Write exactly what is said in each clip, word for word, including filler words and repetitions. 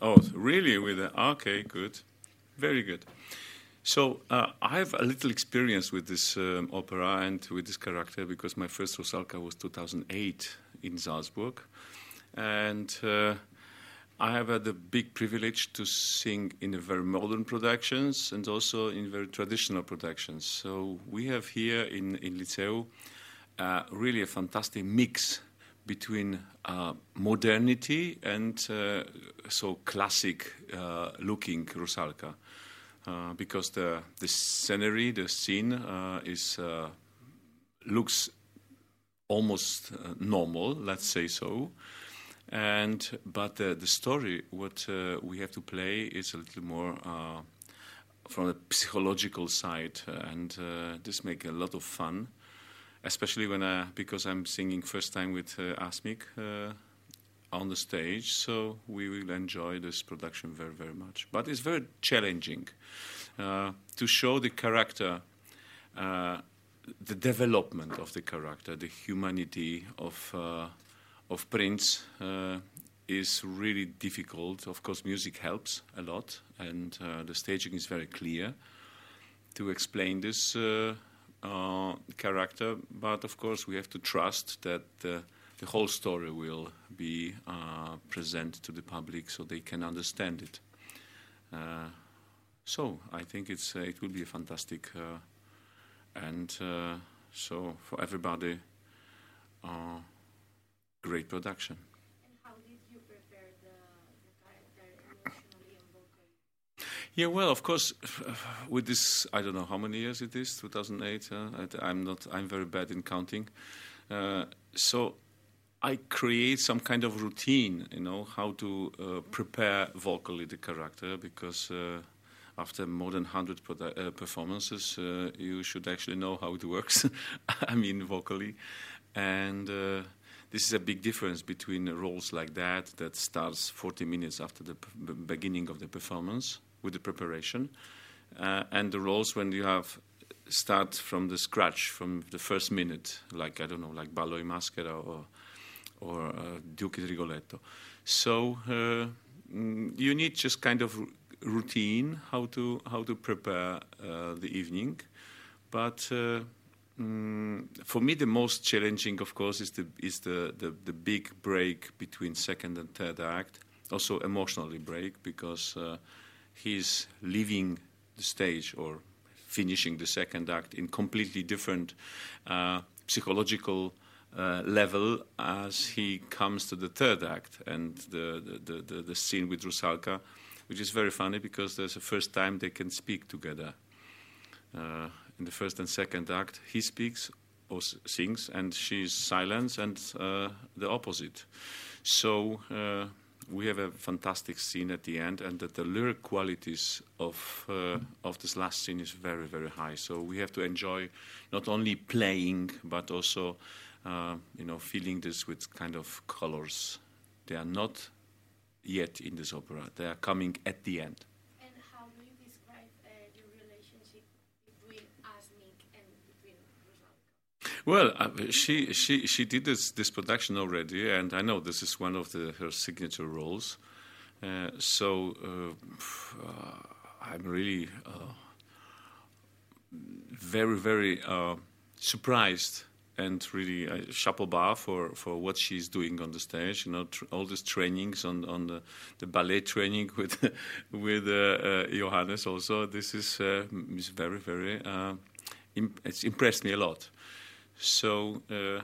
Oh, really? With the, okay, good, very good. So uh, I have a little experience with this um, opera and with this character because my first Rusalka was two thousand eight in Salzburg, and uh, I have had the big privilege to sing in a very modern productions and also in very traditional productions. So we have here in in Liceu uh, really a fantastic mix between uh, modernity and uh, so classic uh, looking Rusalka. Uh, because the the scenery, the scene uh, is uh, looks almost uh, normal, let's say so, and but the the story what uh, we have to play is a little more uh, from the psychological side, and uh, this makes a lot of fun, especially when I, because I'm singing first time with uh, Asmik uh, on the stage, so we will enjoy this production very, very much. But it's very challenging uh, to show the character, uh, the development of the character, the humanity of uh, of Prince uh, is really difficult. Of course, music helps a lot, and uh, the staging is very clear to explain this uh, uh, character. But of course, we have to trust that uh, the whole story will be uh, present to the public so they can understand it. Uh, so I think it's uh, it will be a fantastic uh, and uh, so for everybody, uh, great production. And how did you prepare the, the character emotionally and vocally? Yeah, well, of course, with this, I don't know how many years it is, two thousand eight. Uh, I'm not. I'm very bad in counting. Uh, so. I create some kind of routine, you know, how to uh, prepare vocally the character, because uh, after more than one hundred uh, performances, uh, you should actually know how it works, I mean, vocally. And uh, this is a big difference between roles like that, that starts forty minutes after the p- beginning of the performance with the preparation, uh, and the roles when you have start from the scratch, from the first minute, like, I don't know, like Ballo in Maschera or or uh, Duke di Rigoletto. So uh, mm, you need just kind of r- routine how to how to prepare uh, the evening. But uh, mm, for me, the most challenging, of course, is the is the, the, the big break between second and third act. Also emotionally break, because uh, he's leaving the stage or finishing the second act in completely different uh, psychological Uh, level as he comes to the third act, and the the, the, the scene with Rusalka, which is very funny because there's the first time they can speak together. Uh, in the first and second act, he speaks or s- sings, and she's silent, and uh, the opposite. So uh, we have a fantastic scene at the end, and that the lyric qualities of uh, of this last scene is very, very high. So we have to enjoy not only playing, but also Uh, you know, feeling this with kind of colors. They are not yet in this opera. They are coming at the end. And how do you describe uh, the relationship between Asmik and between Rusalka? Well, uh, she she she did this this production already, and I know this is one of the, her signature roles. Uh, so uh, uh, I'm really uh, very very uh, surprised. And really, uh, chapeau bas for, for what she's doing on the stage. You know, tr- all these trainings on on the, the ballet training with with uh, uh, Johannes. Also, this is uh, is very very. Uh, imp- it's impressed me a lot. So uh,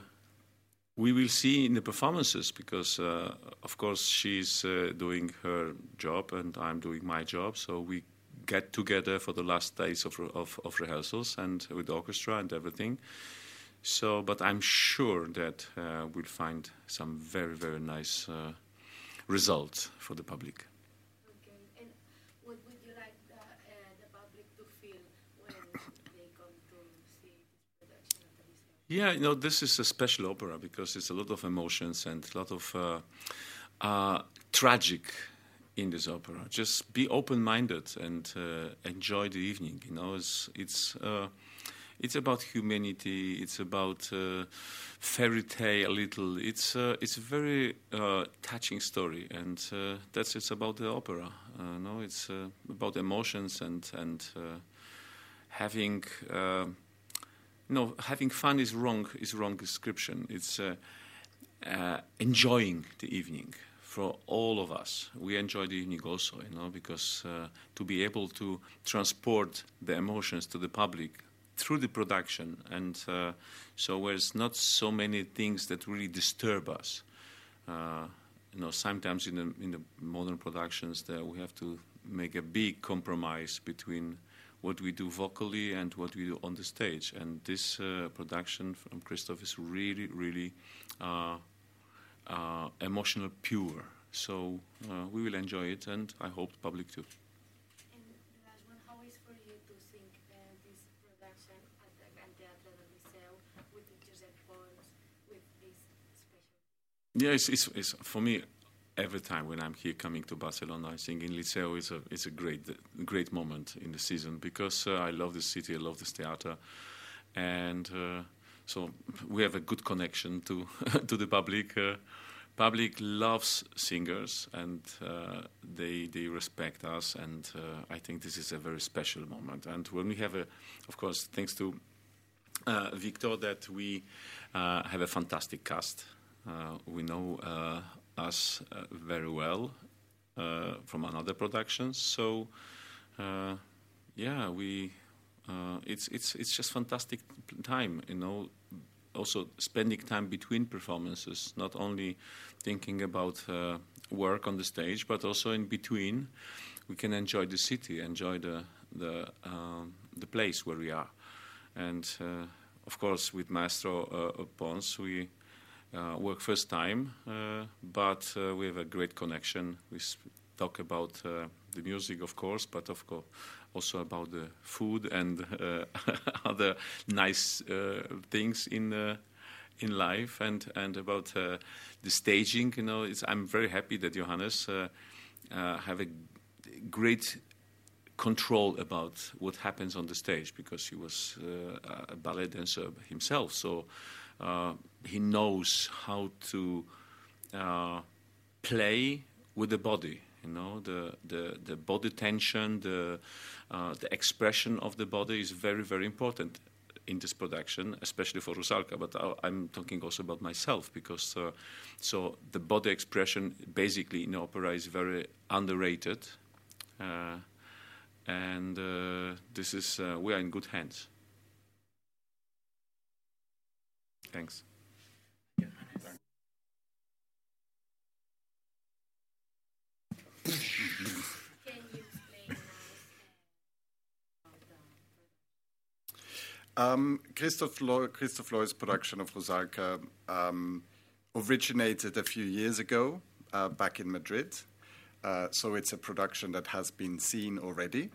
we will see in the performances, because uh, of course she's uh, doing her job and I'm doing my job. So we get together for the last days of of, of rehearsals and with the orchestra and everything. So, but I'm sure that uh, we'll find some very, very nice uh, results for the public. Okay, and what would you like the, uh, the public to feel when they come to see this production at the Liceu? Yeah, you know, this is a special opera because it's a lot of emotions and a lot of uh, uh, tragic in this opera. Just be open-minded and uh, enjoy the evening. You know, it's it's. Uh, it's about humanity. It's about uh, fairy tale a little. It's uh, it's a very uh, touching story, and uh, that's it's about the opera. Uh, no, it's uh, about emotions and and uh, having. Uh, no, having fun is wrong. Is wrong description. It's uh, uh, enjoying the evening. For all of us, we enjoy the evening also, you know, because uh, to be able to transport the emotions to the public through the production, and uh, so there's not so many things that really disturb us. Uh, you know, sometimes in the in the modern productions, that we have to make a big compromise between what we do vocally and what we do on the stage. And this uh, production from Christoph is really, really. Uh, Uh, emotional pure, so uh, we will enjoy it, and I hope the public too. And the last one, how is for you to think uh, this production at the Gran Teatre del Liceu with Josep Pons, with this special? Yeah, it's, it's, it's for me. Every time when I'm here coming to Barcelona, I think in Liceu is a it's a great great moment in the season, because uh, I love the city, I love this theatre, and. Uh, So we have a good connection to to the public. Uh, public loves singers, and uh, they they respect us, and uh, I think this is a very special moment. And when we have a, of course, thanks to uh, Victor, that we uh, have a fantastic cast. Uh, we know uh, us uh, very well uh, from another productions. So uh, yeah, we. Uh, it's it's it's just fantastic time, you know. Also spending time between performances, not only thinking about uh, work on the stage, but also in between, we can enjoy the city, enjoy the the um, the place where we are, and uh, of course with Maestro uh, Pons we uh, work first time, uh, but uh, we have a great connection. We sp- talk about uh, the music, of course, but of course. Also about the food and uh, other nice uh, things in uh, in life, and and about uh, the staging. You know, it's, I'm very happy that Johannes uh, uh, have a great control about what happens on the stage, because he was uh, a ballet dancer himself. So uh, he knows how to uh, play with the body. You know, the, the, the body tension, the uh, the expression of the body is very, very important in this production, especially for Rusalka. But I, I'm talking also about myself, because uh, so the body expression basically in opera is very underrated, uh, and uh, this is uh, we are in good hands. Thanks. Um, Christoph, Lo- Christoph Loy's production of Rusalka um, originated a few years ago uh, back in Madrid. Uh, so it's a production that has been seen already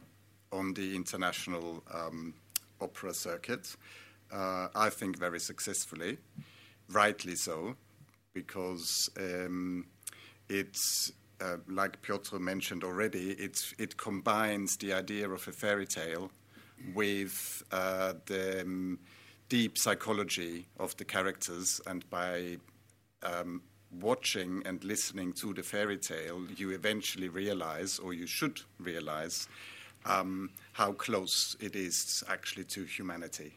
on the international um, opera circuit. Uh, I think very successfully, rightly so, because um, it's, uh, like Piotr mentioned already, it's, it combines the idea of a fairy tale with uh, the um, deep psychology of the characters, and by um, watching and listening to the fairy tale, you eventually realize, or you should realize, um, how close it is actually to humanity.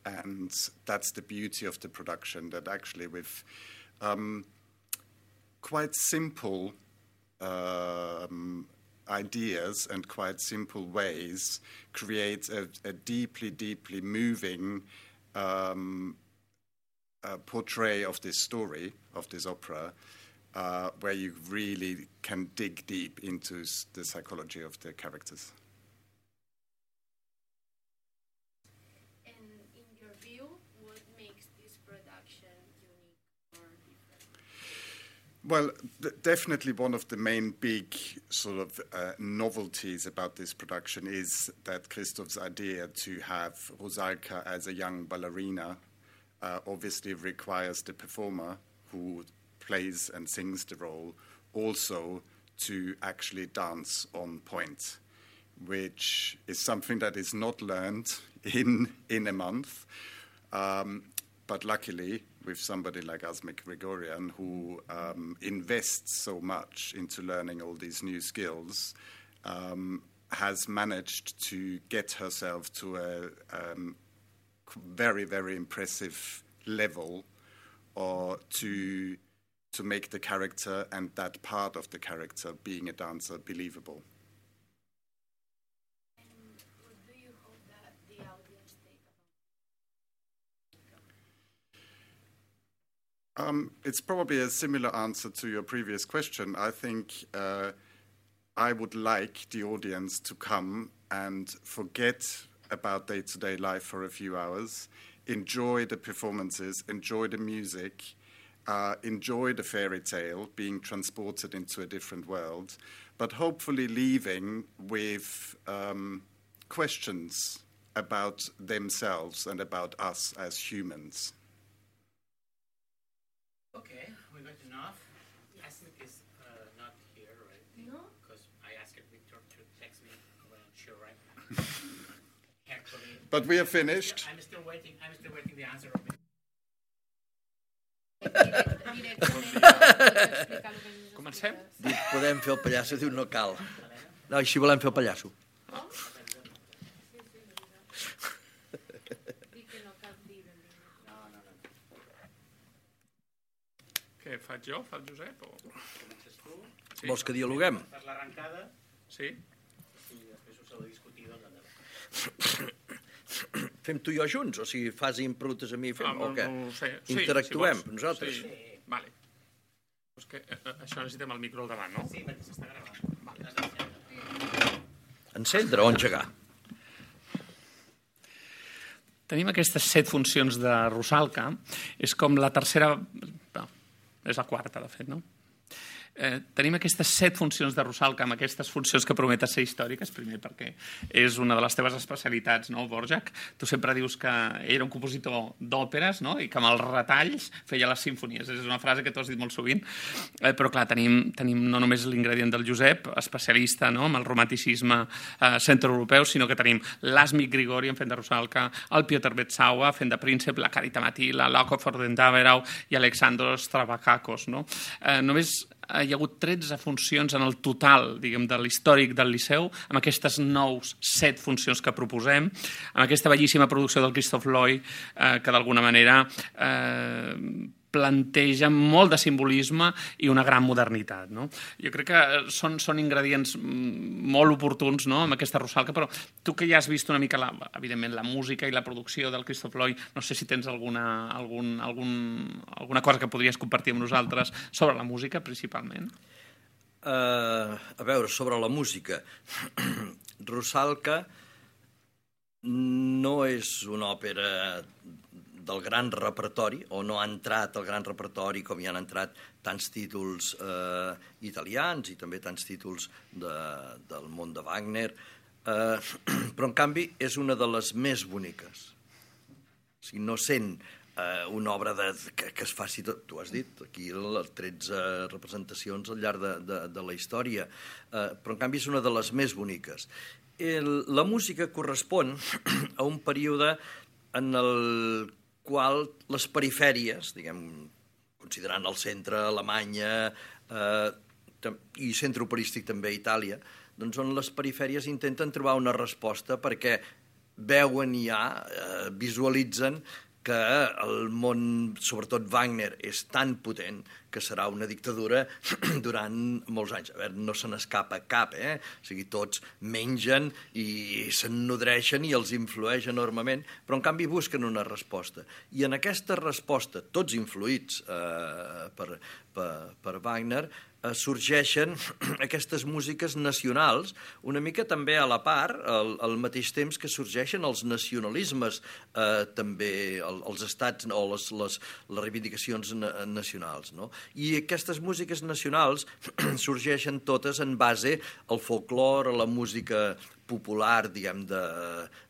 And that's the beauty of the production, that actually with um, quite simple um, ideas and quite simple ways create a, a deeply, deeply moving um, uh, portray of this story, of this opera, uh, where you really can dig deep into the psychology of the characters. And in your view, what makes this production unique or different? Well, th- definitely one of the main big sort of uh, novelties about this production is that Christoph's idea to have Rusalka as a young ballerina uh, obviously requires the performer who plays and sings the role also to actually dance on point, which is something that is not learned in in a month. Um, but luckily, with somebody like Asmik Grigorian, who um, invests so much into learning all these new skills, um, has managed to get herself to a um, very, very impressive level, or to to make the character and that part of the character, being a dancer, believable. And what do you hope that the audience take about? Um, it's probably a similar answer to your previous question. I think uh, I would like the audience to come and forget about day-to-day life for a few hours, enjoy the performances, enjoy the music, uh, enjoy the fairy tale, being transported into a different world, but hopefully leaving with um, questions about themselves and about us as humans. Okay, we got enough. Asmik is uh, not here, right? No? Because I asked Victor to text me when I'm sure, right? Actually, But we are finished. I'm still waiting. I'm still waiting the answer of it. Comencem? Dic, podem fer el pallasso, diu no cal. No, així volem fer el pallasso. Dic que no cal dir benvingut. No, no, no. Què faig jo? Fa el Josep? O... Comences tu, Sí. Vols que dialoguem? fas l'arrencada Sí? i després us heu de discutir doncs endavant. Fem tu i jo junts? O sigui, fas i em preguntes a mi, fem, Ah, o què? no ho sé. Sí, Interactuem, si vols. nosaltres? Sí. Vale. És que eh, això necessitem el micro al davant, no? Sí, perquè s'està gravant. Vale. Has d'encendre. Encendre o engegar? Tenim aquestes set funcions de Rusalka. És com la tercera... No, és la quarta, de fet, no? Eh, tenim aquestes set funcions de Rusalka amb aquestes funcions que prometen ser històriques, primer perquè és una de les teves especialitats, no, Dvořák? Tu sempre dius que era un compositor d'òperes, no?, i que amb els retalls feia les simfonies. És una frase que tu has dit molt sovint. Eh, però, clar, tenim, tenim no només l'ingredient del Josep, especialista, no?, amb el romanticisme eh, centroeuropeu, sinó que tenim l'Asmik Grigorian fent de Rusalka, el Piotr Bečawa fent de príncep, la Karita Mati, la Loko Fordendaverau i Alexandros Stravakakos, no? Eh, només hi ha hagut tretze funcions en el total, diguem, de l'històric del Liceu, amb aquestes nous set funcions que proposem, amb aquesta bellíssima producció del Christoph Loy, eh, que d'alguna manera eh, planteja molt de simbolisme i una gran modernitat, no? Jo crec que són, són ingredients molt oportuns, no?, amb aquesta Rusalka, però tu que ja has vist una mica, la, evidentment, la música i la producció del Christoph Loy, no sé si tens alguna, algun, algun, alguna cosa que podries compartir amb nosaltres sobre la música, principalment. Uh, a veure, sobre la música. Rusalka no és una òpera del gran repertori, o no ha entrat al gran repertori com hi han entrat tants títols eh, italians i també tants títols de, del món de Wagner, eh, però en canvi és una de les més boniques. O sigui, no sent eh, una obra de, que, que es faci tot, tu has dit, aquí les tretze representacions al llarg de, de, de la història, eh, però en canvi és una de les més boniques. El, la música correspon a un període en el qual les perifèries, diguem, considerant el centre, Alemanya eh, i centre operístic també a Itàlia, doncs on les perifèries intenten trobar una resposta perquè veuen ja, eh, visualitzen que el món, sobretot Wagner, és tan potent que serà una dictadura durant molts anys. A veure, no se n'escapa cap, eh? O sigui, tots mengen i se'n nodreixen i els influeix enormement, però en canvi busquen una resposta. I en aquesta resposta, tots influïts eh, per, per, per Wagner, eh, sorgeixen aquestes músiques nacionals, una mica també a la part, al, al mateix temps que sorgeixen els nacionalismes, eh, també el, els estats o les, les, les reivindicacions na, nacionals, no? I aquestes músiques nacionals sorgeixen totes en base al folklore, a la música popular, diguem, de,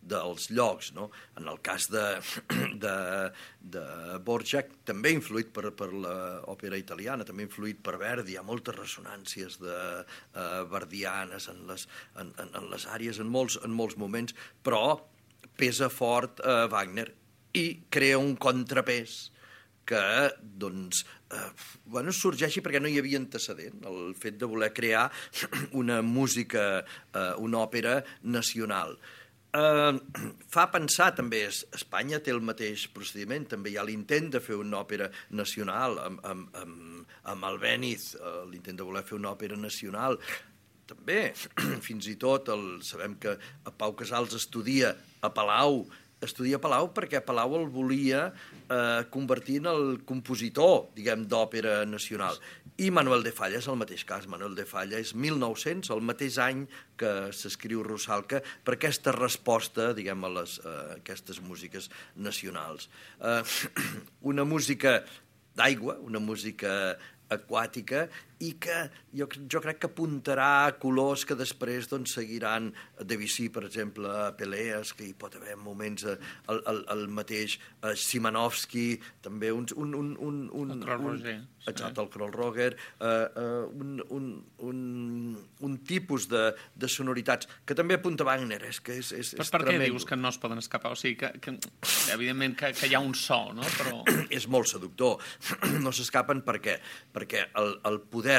dels llocs, no? En el cas de, de, de Dvořák, també influït per, per l'òpera italiana, també influït per Verdi, hi ha moltes ressonàncies de, uh, verdianes en les, en, en, en les àrees, en molts, en molts moments, però pesa fort a Wagner i crea un contrapès que doncs, eh, bueno, sorgeixi perquè no hi havia antecedent, el fet de voler crear una música, eh, una òpera nacional. Eh, fa pensar també, Espanya té el mateix procediment, també hi ha l'intent de fer una òpera nacional amb, amb, amb, amb Albéniz, eh, l'intent de voler fer una òpera nacional. També, fins i tot, el, sabem que Pau Casals estudia a Palau, estudia a Palau perquè Palau el volia eh, convertir en el compositor, diguem, d'òpera nacional. I Manuel de Falla és el mateix cas. Manuel de Falla és mil nou-cents, el mateix any que s'escriu Rusalka, per aquesta resposta, diguem, a les, eh, aquestes músiques nacionals. Eh, una música d'aigua, una música aquàtica, i que jo, jo crec que apuntarà a colors que després doncs, seguiran Debussy, per exemple, a Peleas, que hi pot haver moments el, el, el mateix uh, Szymanowski, també un... un, un, un, un el Kroll Roger. Exacte, el Kroll Roger, uh, uh, un, un, un, un tipus de, de sonoritats que també apunta Wagner, és que és, és, Però és per què tremendo. dius que no es poden escapar? O sigui, que, que evidentment que, que hi ha un so, no? Però... És molt seductor. No s'escapen per què? Perquè el, el poder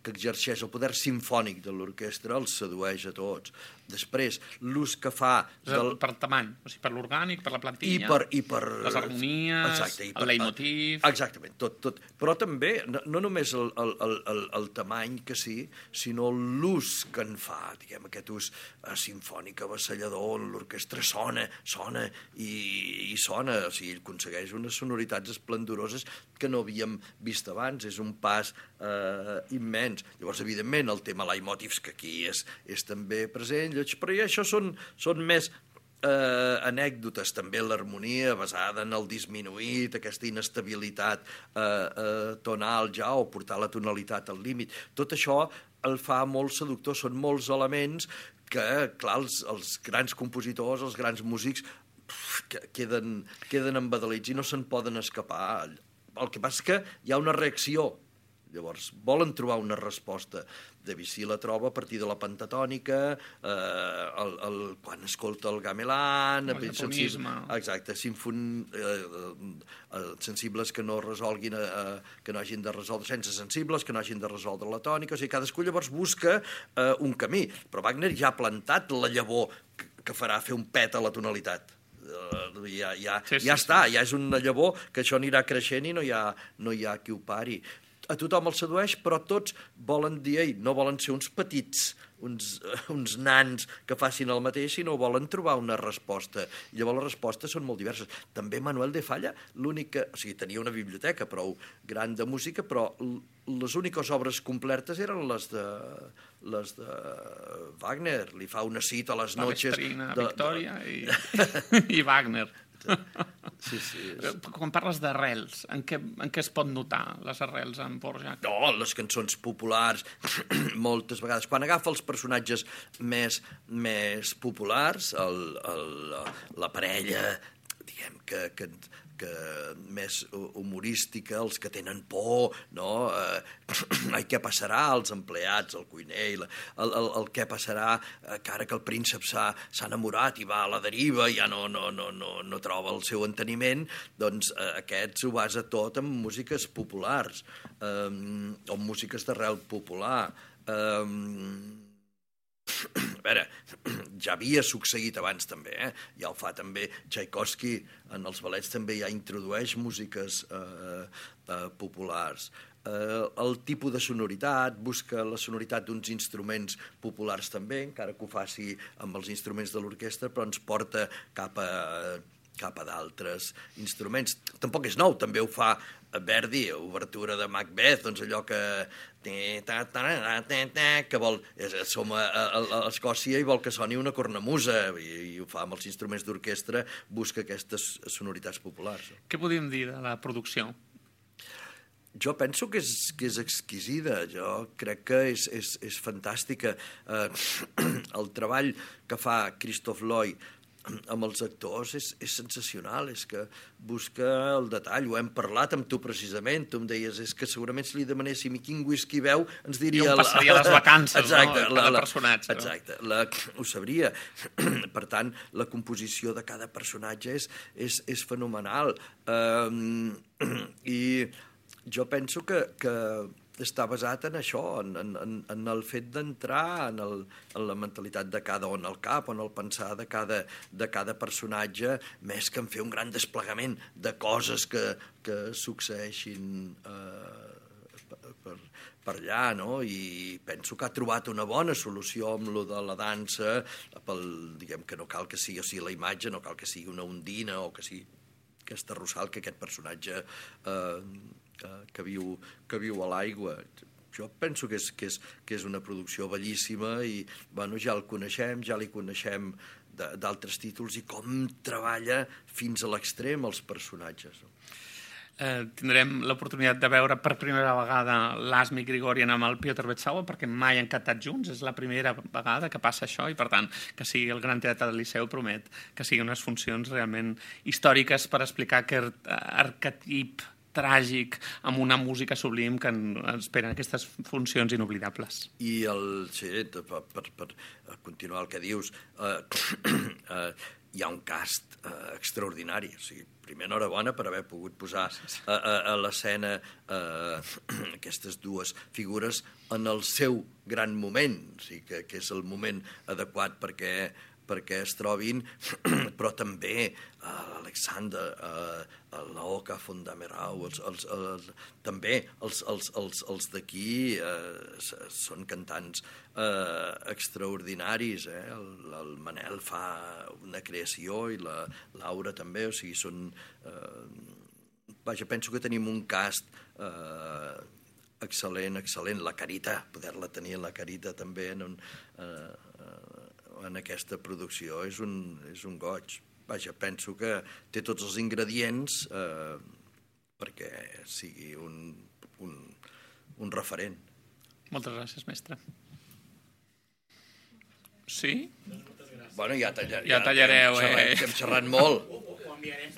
que exerceix, el poder simfònic de l'orquestra els sedueix a tots. Després, l'ús que fa... Del... Per tamany, o sigui, per l'orgànic, per la plantilla, I per, i per... les harmonies, exacte, i per... el leitmotiv... Exactament, tot, tot. Però també, no, no només el, el, el, el, el tamany que sí, sinó l'ús que en fa, diguem, aquest ús eh, simfònic, avassallador, l'orquestra sona, sona i, i sona, o sigui, aconsegueix unes sonoritats esplendoroses que no havíem vist abans, és un pas eh, immens. Llavors, evidentment, el tema leitmotivs, que aquí és, és també present, però ja això són, són més eh, anècdotes, també l'harmonia basada en el disminuït, aquesta inestabilitat eh, eh, tonal ja, o portar la tonalitat al límit. Tot això el fa molt seductor, són molts elements que, clar, els, els grans compositors, els grans músics, que queden, queden embadalits i no se'n poden escapar. El que passa és que hi ha una reacció. Llavors, volen trobar una resposta. Debussy la troba a partir de la pentatònica, eh, el, el, quan escolta el gamelan... El japonisme. Exacte, sinfon, eh, eh, sensibles que no resolguin, eh, que no hagin de resoldre, sense sensibles, que no hagin de resoldre la tònica, o sigui, cadascú llavors busca eh, un camí. Però Wagner ja ha plantat la llavor que, que farà fer un pet a la tonalitat. Uh, ja, ja, sí, sí, ja sí. està, ja és una llavor que això anirà creixent i no hi ha, no hi ha qui ho pari. A tothom el sedueix, però tots volen dir, ei, no volen ser uns petits, uns, uns nans que facin el mateix, sinó volen trobar una resposta. I llavors les respostes són molt diverses. També Manuel de Falla, l'única... O sigui, tenia una biblioteca prou gran de música, però les úniques obres completes eren les de, les de Wagner. Li fa una cita a les La noches... Vestrina, de, Victòria de... i, i Wagner. Sí, sí. Quan parles d'arrels, en què, en què es pot notar les arrels en Dvořák? No, les cançons populars, moltes vegades. Quan agafa els personatges més, més populars, el, el, la parella, diguem, que, que, que més humorística, els que tenen por, no? Eh, ai, què passarà als empleats, al cuiner, el, el, el què passarà eh, que ara que el príncep s'ha enamorat i va a la deriva i ja no, no, no, no, no troba el seu enteniment, doncs eh, aquest s'ho basa tot en músiques populars, eh, o en músiques d'arrel popular. Eh, A veure, ja havia succeït abans també, eh? Ja ho fa també Tchaikovsky, en els ballets també ja introdueix músiques eh, eh, populars. Eh, el tipus de sonoritat, busca la sonoritat d'uns instruments populars també, encara que ho faci amb els instruments de l'orquestra, però ens porta cap a, cap a d'altres instruments. Tampoc és nou, també ho fa Verdi, obertura de Macbeth, doncs allò que que vol, som a, a, a Escòcia i vol que soni una cornamusa i, i ho fa amb els instruments d'orquestra, busca aquestes sonoritats populars. Què podríem dir de la producció? Jo penso que és, que és exquisida, jo crec que és, és, és fantàstica. Eh, el treball que fa Christophe Lloyd amb els actors és, és sensacional, és que busca el detall. Ho hem parlat amb tu precisament, tu em deies, és que segurament si li demanéssim i quin whisky veu, ens diria... I on passaria les vacances, exacte, no? Cada personatge. Exacte, la, ho sabria. Per tant, la composició de cada personatge és, és, és fenomenal. Um, I jo penso que, que està basat en això, en, en, en el fet d'entrar en, el, en la mentalitat de cada, o en el cap, o en el pensar de cada, de cada personatge, més que en fer un gran desplegament de coses que, que succeeixin eh, per, per, per allà, no? I penso que ha trobat una bona solució amb lo de la dansa, pel, diguem que no cal que sigui, o sigui, la imatge, no cal que sigui una ondina o que sigui aquesta Russell, que aquest personatge eh, que viu, que viu a l'aigua. Jo penso que és, que, és, que és una producció bellíssima i bueno, ja el coneixem, ja li coneixem d'altres títols i com treballa fins a l'extrem els personatges. Eh, tindrem l'oportunitat de veure per primera vegada l'Asmi Grigorian amb el Piotr Betsauer, perquè mai han cantat junts, és la primera vegada que passa això i per tant que sigui el Gran Teatre del Liceu promet que siguin unes funcions realment històriques per explicar aquest arquetip tràgic amb una música sublim que esperen aquestes funcions inoblidables. I el, sí, per, per, per continuar el que dius, eh, eh, hi ha un cast eh, extraordinari, o sigui, primer enhorabona per haver pogut posar a, a, a l'escena eh, aquestes dues figures en el seu gran moment, o sigui, que, que és el moment adequat perquè perquè es trobin, però també uh, l'Alexander, uh, l'Oka Fondamerau, els, els, els, també els, els, els, els d'aquí uh, són cantants uh, extraordinaris. Eh? El, el Manel fa una creació i la Laura també, o sigui, són... Uh, vaja, penso que tenim un cast uh, excel·lent, excel·lent. La Carita, poder-la tenir, la Carita també en un... Uh, en aquesta producció és un, és un goig. Vaja, penso que té tots els ingredients eh, perquè sigui un, un, un referent. Moltes gràcies, mestre. Sí? Bueno, ja, tallar, ja tallareu, ja, eh? Hem xerrat molt. Ho, ho enviarem